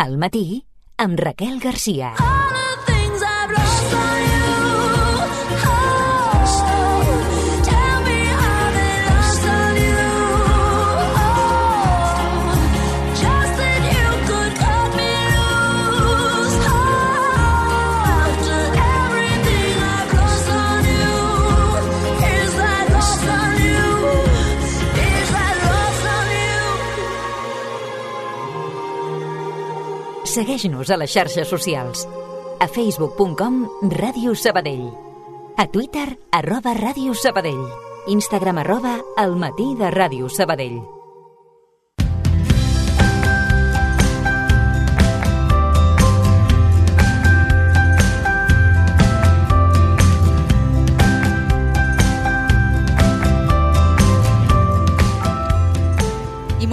Al matí, amb Raquel Garcia. Segueix-nos a les xarxes socials. A facebook.com/Ràdio Sabadell. A Twitter @Ràdio Sabadell. Instagram @elmatí de Ràdio Sabadell.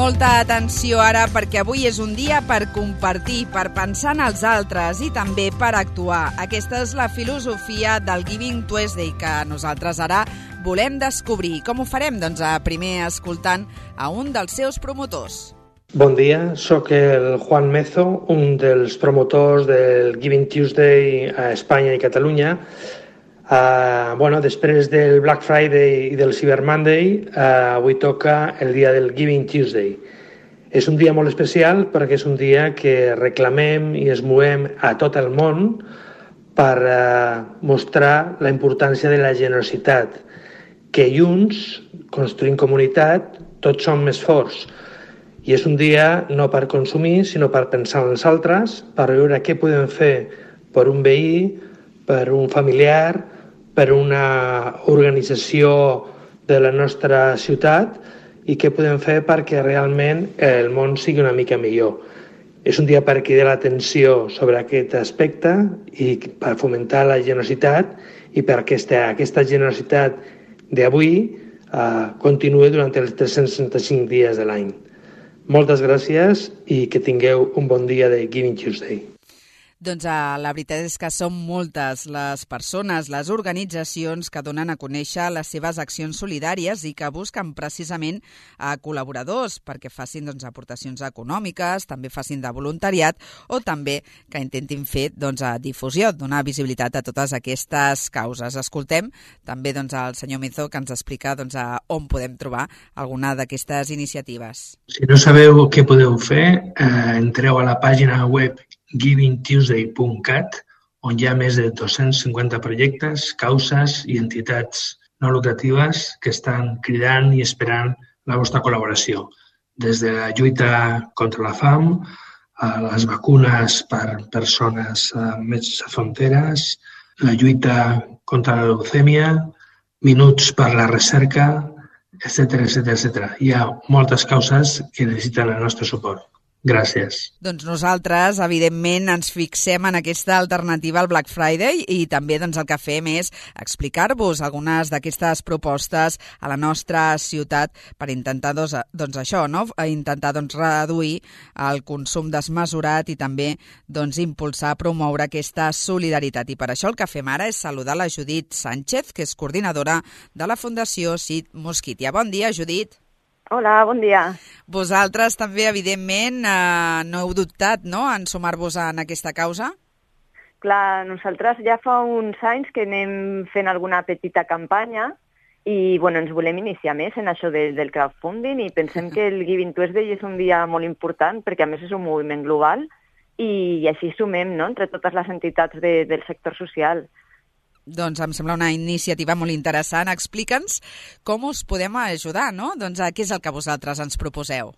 Molta atenció ara, perquè avui és un dia per compartir, per pensar en els altres i també per actuar. Aquesta és la filosofia del Giving Tuesday que nosaltres ara volem descobrir. Com ho farem? Doncs primer escoltant a un dels seus promotors. Bon dia, sóc el Juan Mezo, un dels promotors del Giving Tuesday a Espanya i Catalunya. Després del Black Friday i del Cyber Monday, avui toca el dia del Giving Tuesday. És un dia molt especial perquè és un dia que reclamem i es movem a tot el món per mostrar la importància de la generositat, que junts, construint comunitat, tots som més forts. I és un dia no per consumir, sinó per pensar en els altres, per veure què podem fer per un veí, per un familiar, per una organització de la nostra ciutat i què podem fer perquè realment el món sigui una mica millor. És un dia per cridar l'atenció sobre aquest aspecte i per fomentar la generositat i perquè aquesta generositat d'avui continuï durant els 365 dies de l'any. Moltes gràcies i que tingueu un bon dia de Giving Tuesday. Doncs la veritat és que són moltes les persones, les organitzacions que donen a conèixer les seves accions solidàries i que busquen precisament col·laboradors perquè facin aportacions econòmiques, també facin de voluntariat o també que intentin fer difusió, donar visibilitat a totes aquestes causes. Escoltem també el senyor Mezo que ens explica on podem trobar alguna d'aquestes iniciatives. Si no sabeu què podeu fer, entreu a la pàgina web givingtuesday.cat, on hi ha més de 250 projectes, causes i entitats no lucratives que estan cridant i esperant la vostra col·laboració. Des de la lluita contra la fam, a les vacunes per persones més fronteres, la lluita contra la leucèmia, minuts per la recerca, etc. Hi ha moltes causes que necessiten el nostre suport. Gràcies. Doncs nosaltres, evidentment, ens fixem en aquesta alternativa al Black Friday i també el que fem és explicar-vos algunes d'aquestes propostes a la nostra ciutat per intentar intentar reduir el consum desmesurat i també impulsar, promoure aquesta solidaritat. I per això el que fem ara és saludar la Judit Sánchez, que és coordinadora de la Fundació Sid Mosquitia. Bon dia, Judit. Hola, bon dia. Vosaltres també, evidentment, no heu dubtat en sumar-vos en aquesta causa? Clar, nosaltres ja fa uns anys que anem fent alguna petita campanya i ens volem iniciar més en això del crowdfunding i pensem que el Giving Tuesday és un dia molt important perquè a més és un moviment global i així sumem entre totes les entitats del sector social. Doncs em sembla una iniciativa molt interessant. Explica'ns com us podem ajudar, no? Què és el que vosaltres ens proposeu?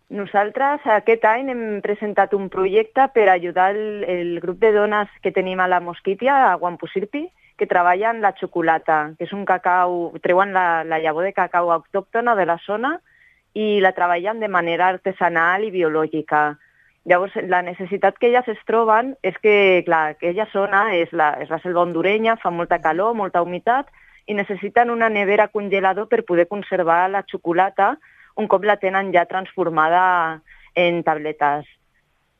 Nosaltres aquest any hem presentat un projecte per ajudar el grup de dones que tenim a la Mosquitia, a Wampusirpi, que treballen la xocolata, que és un cacau, treuen la llavor de cacau autòctona de la zona i la treballen de manera artesanal i biològica. Llavors, la necessitat que elles es troben és que, clar, aquella zona és la selva hondurenya, fa molta calor, molta humitat, i necessiten una nevera congelador per poder conservar la xocolata un cop la tenen ja transformada en tabletes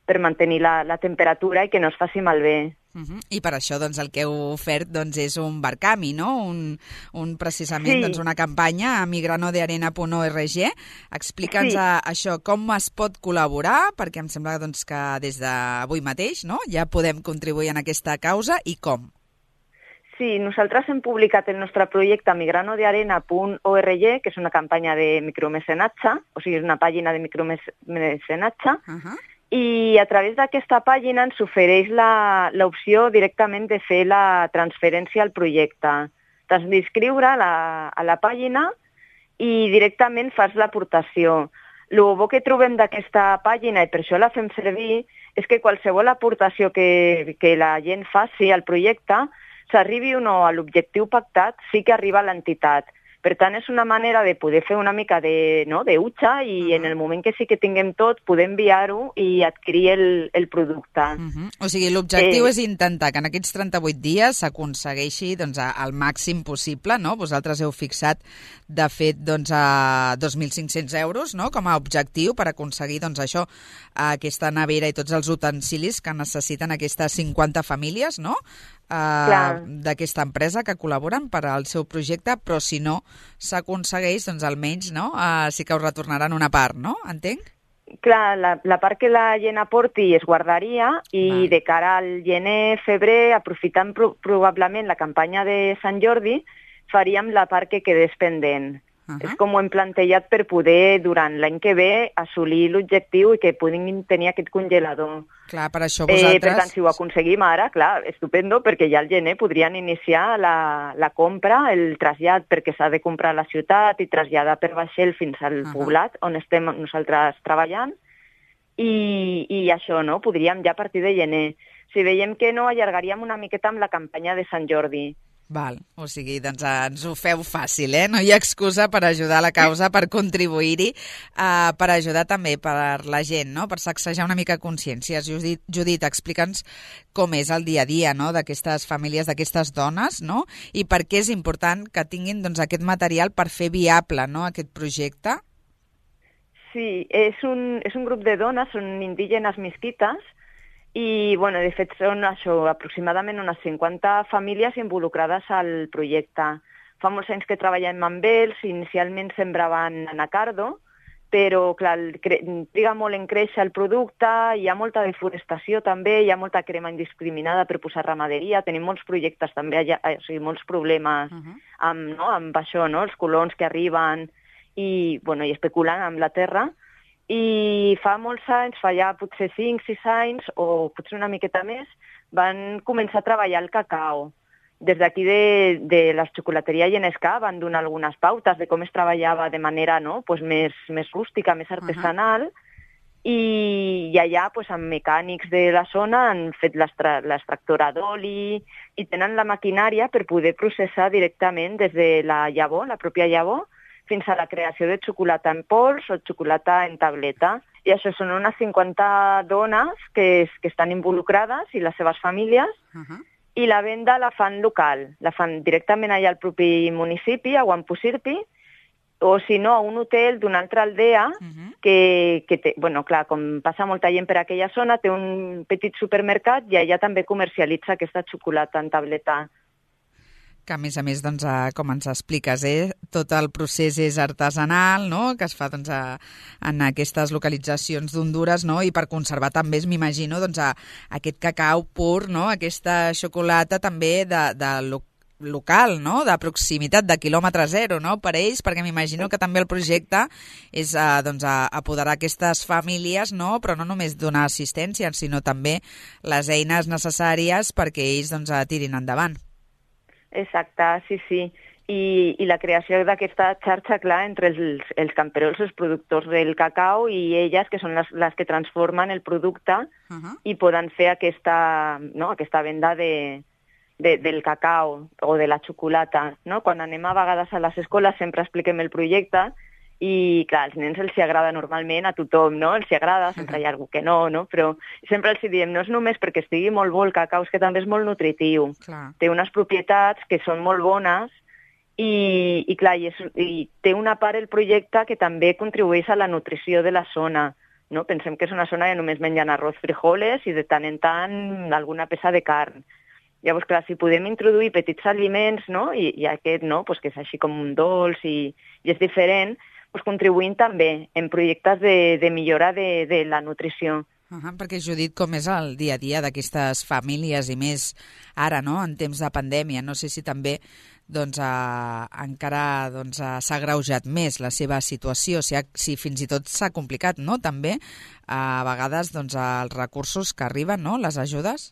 per mantenir la temperatura i que no es faci malbé. I per això doncs, el que heu ofert doncs, és un Barcami, no? Precisament doncs, una campanya a migranodearena.org. Explica'ns això, com es pot col·laborar, perquè em sembla doncs, que des d'avui mateix no? Ja podem contribuir en aquesta causa i com. Sí, nosaltres hem publicat el nostre projecte a migranodearena.org, que és una campanya de micromecenatge, o sigui, és una pàgina de micromecenatge, i a través d'aquesta pàgina ens ofereix l'opció directament de fer la transferència al projecte. T'has d'inscriure a la pàgina i directament fas l'aportació. El bo que trobem d'aquesta pàgina, i per això la fem servir, és que qualsevol aportació que la gent faci al projecte, s'arribi o no a l'objectiu pactat, sí que arriba a l'entitat. Per tant, és una manera de poder fer una mica de utxa i en el moment que sí que tinguem tot, poder enviar-ho i adquirir el producte. O sigui, l'objectiu és intentar que en aquests 38 dies s'aconsegueixi doncs, el màxim possible, no? Vosaltres heu fixat, de fet, doncs, a 2.500 euros no? Com a objectiu per aconseguir doncs, això, aquesta nevera i tots els utensilis que necessiten aquestes 50 famílies, no? D'aquesta empresa que col·laboren per al seu projecte, però si no s'aconsegueix, doncs almenys no? Sí que us retornaran una part, no? Entenc? Clar, la part que la gent aporti es guardaria i de cara al gener, febrer, aprofitant probablement la campanya de Sant Jordi, faríem la part que quedés pendent. És com ho hem plantejat per poder, durant l'any que ve, assolir l'objectiu i que puguin tenir aquest congelador. Clar, per això vosaltres... Per tant, si ho aconseguim ara, clar, estupendo, perquè ja al gener podrien iniciar la compra, el trasllat, perquè s'ha de comprar a la ciutat i traslladar per vaixell fins al poblat, on estem nosaltres treballant, i això, no? Podríem ja a partir de gener. Si veiem que no, allargaríem una miqueta amb la campanya de Sant Jordi. Val, o sigui, doncs ens ho feu fàcil, No hi ha excusa per ajudar la causa, per contribuir-hi, per ajudar també per la gent, no? Per sacsejar una mica consciències. Judit, explica'ns com és el dia a dia, no? D'aquestes famílies, d'aquestes dones, no? I per què és important que tinguin doncs, aquest material per fer viable, no? Aquest projecte. Sí, és un grup de dones, són indígenes mesquites, i, bueno, de fet, són aproximadament unes 50 famílies involucrades al projecte. Fa molts anys que treballem amb ells, inicialment sembraven anacardo, però, clar, triga molt en créixer el producte, hi ha molta deforestació també, hi ha molta crema indiscriminada per posar ramaderia, tenim molts projectes també, o sigui, molts problemes amb això, no? Els colons que arriben i especulant amb la terra. I fa molts anys, fa ja potser 5-6 anys, o potser una miqueta més, van començar a treballar el cacau. Des d'aquí de la xocolateria Genescà van donar algunes pautes de com es treballava de manera més rústica, més artesanal, i allà amb mecànics de la zona han fet l'extractora d'oli i tenen la maquinària per poder processar directament des de la llavor, la pròpia llavor, fins a la creació de xocolata en pols o xocolata en tableta. I això són unes 50 dones que estan involucrades i les seves famílies, i la venda la fan local, la fan directament allà al propi municipi, a Guampusirpi, o si no, a un hotel d'una altra aldea que té, clar, com passa molta gent per aquella zona, té un petit supermercat i allà també comercialitza aquesta xocolata en tableta. Que a més, doncs, com ens expliques, tot el procés és artesanal, no? Que es fa doncs, en aquestes localitzacions d'Hondures, no? I per conservar també, m'imagino, doncs, aquest cacau pur, no? Aquesta xocolata també de local, no? De proximitat, de quilòmetre zero, no? Per ells, perquè m'imagino que també el projecte és doncs, apoderar aquestes famílies, no? Però no només donar assistència, sinó també les eines necessàries perquè ells doncs, tirin endavant. Exacte, sí. I la creació d'aquesta xarxa, clar, entre els camperols, els productors del cacau i elles, que són les que transformen el producte i poden fer aquesta venda del cacau o de la xocolata. No? Quan anem a vegades a les escoles sempre expliquem el projecte i, clar, als nens els agrada normalment, a tothom, no? Els agrada, sempre hi ha algú que no? Però sempre els diem, no és només perquè estigui molt bo el cacau, és que també és molt nutritiu. Clar. Té unes propietats que són molt bones i clar, i té una part el projecte que també contribueix a la nutrició de la zona. no? Pensem que és una zona que només mengen arròs, frijoles i de tant en tant alguna peça de carn. Llavors, clar, si podem introduir petits aliments, no? I aquest, no? Pues que és així com un dolç i és diferent, pues contribuint també en projectes de millora de la nutrició. Perquè, Judit, com és el dia a dia d'aquestes famílies i més ara, no?, en temps de pandèmia? No sé si també encara s'ha agreujat més la seva situació, si fins i tot s'ha complicat, no?, també a vegades els recursos que arriben, no?, les ajudes?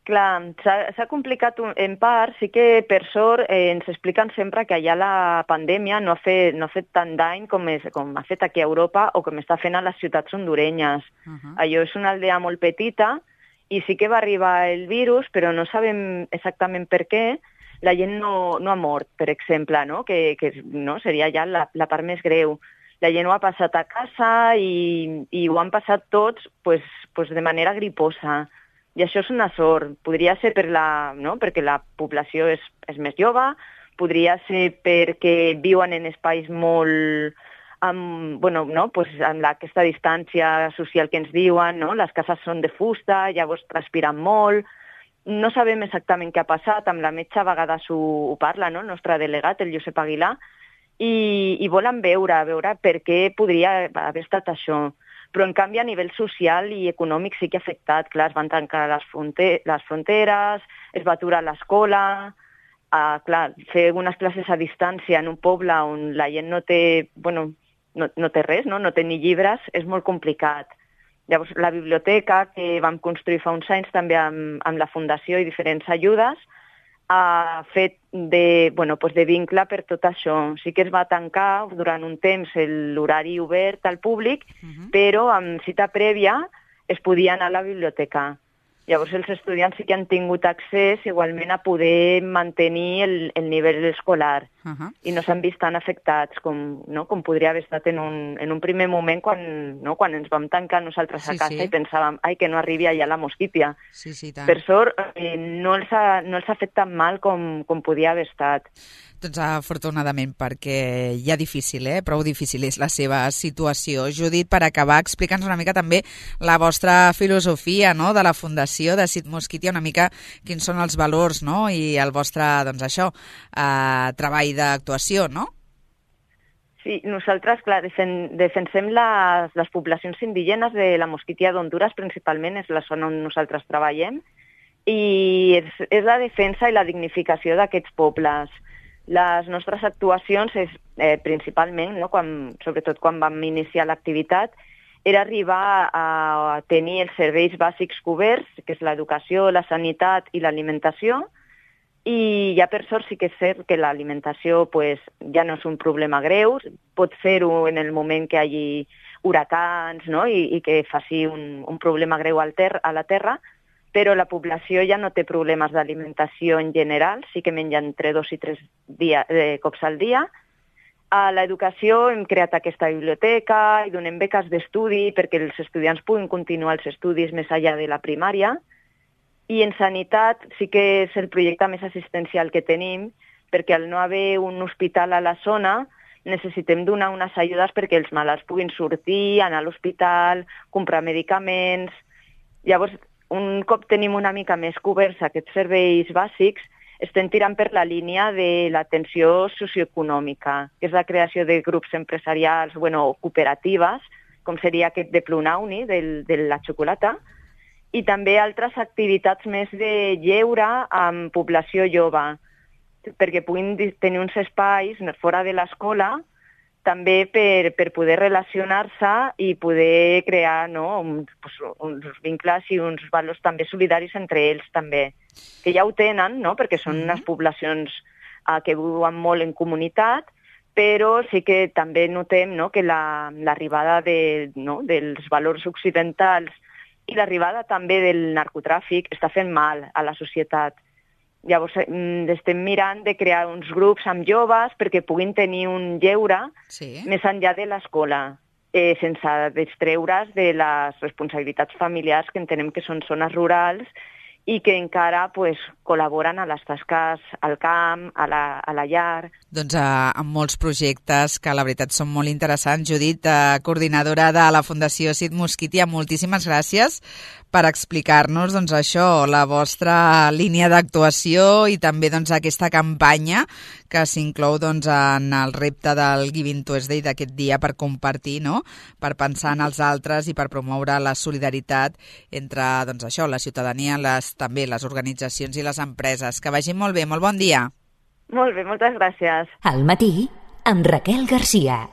Clar, s'ha complicat en part, sí que per sort ens expliquen sempre que allà la pandèmia no ha fet tant dany com ha fet aquí a Europa o com està fent a les ciutats hondurenyes. Allò és una aldea molt petita i sí que va arribar el virus, però no sabem exactament per què. La gent no ha mort, per exemple, no? Que no, seria ja la part més greu. La gent ho ha passat a casa i ho han passat tots pues, de manera griposa. I això és una sort. Podria ser perquè la població és més jove, podria ser perquè viuen en espais molt amb aquesta distància social que ens diuen, no? Les cases són de fusta, llavors transpiren molt. No sabem exactament què ha passat, amb la metge a vegades ho parla, no? El nostre delegat, el Josep Aguilar, i volen veure per què podria haver estat això. Però, en canvi, a nivell social i econòmic sí que ha afectat. Clar, es van tancar les fronteres, es va aturar l'escola. Clar, fer unes classes a distància en un poble on la gent no té res, no té ni llibres, és molt complicat. Llavors, la biblioteca, que vam construir fa uns anys també amb la Fundació i diferents ajudes, ha fet de vincle per tot això. Sí que es va tancar durant un temps l'horari obert al públic, però amb cita prèvia es podia anar a la biblioteca. Llavors els estudiants sí que han tingut accés igualment a poder mantenir el nivell escolar i no s'han vist tan afectats com podria haver estat en un primer moment quan ens vam tancar nosaltres a casa i pensàvem que no arribi allà la mosquítia. Per sort no els ha fet tan mal com podia haver estat. Doncs afortunadament, perquè ja prou difícil és la seva situació. Judit, per acabar, explica'ns una mica també la vostra filosofia, no?, de la Fundació de Sid Mosquitia, una mica quins són els valors, no?, i el vostre, treball d'actuació, no? Sí, nosaltres, clar, defensem les poblacions indígenes de la Mosquitia d'Honduras, principalment, és la zona on nosaltres treballem, i és la defensa i la dignificació d'aquests pobles. Les nostres actuacions és principalment, no, sobretot quan vam iniciar l'activitat, era arribar a tenir els serveis bàsics coberts, que és l'educació, la sanitat i l'alimentació, i ja per sort sí que és cert que l'alimentació ja no és un problema greu, pot fer-ho en el moment que hi hagi huracans, no, i que faci un problema greu a la terra, però la població ja no té problemes d'alimentació en general, sí que mengen entre 2 i 3 cops al dia. A l'educació hem creat aquesta biblioteca i donem beques d'estudi perquè els estudiants puguin continuar els estudis més enllà de la primària. I en sanitat sí que és el projecte més assistencial que tenim, perquè al no haver un hospital a la zona necessitem donar unes ajudes perquè els malalts puguin sortir, anar a l'hospital, comprar medicaments. Llavors, un cop tenim una mica més coberts aquests serveis bàsics, estem tirant per la línia de l'atenció socioeconòmica, que és la creació de grups empresarials, cooperatives, com seria aquest de Plunauni, de la xocolata, i també altres activitats més de lleure amb població jove, perquè puguin tenir uns espais fora de l'escola, també per poder relacionar-se i poder crear uns vincles i uns valors també solidaris entre ells també, que ja ho tenen, no? Perquè són unes poblacions que viuen molt en comunitat, però sí que també notem que l'arribada dels valors occidentals i l'arribada també del narcotràfic està fent mal a la societat. Llavors estem mirant de crear uns grups amb joves perquè puguin tenir un lleure més enllà de l'escola, sense distreure's de les responsabilitats familiars que entenem que són zones rurals i que encara pues, col·laboren a les tasques al camp, a la llar. Doncs amb molts projectes que la veritat són molt interessants. Judit, coordinadora de la Fundació Cid Mosquitia, moltíssimes gràcies per explicar-nos doncs, això, la vostra línia d'actuació i també doncs, aquesta campanya que s'inclou doncs, en el repte del Giving Tuesday d'aquest dia per compartir, no? Per pensar en els altres i per promoure la solidaritat entre doncs, això, la ciutadania, també les organitzacions i les empreses. Que vagi molt bé, molt bon dia. Molt bé, moltes gràcies. Al matí, amb Raquel Garcia.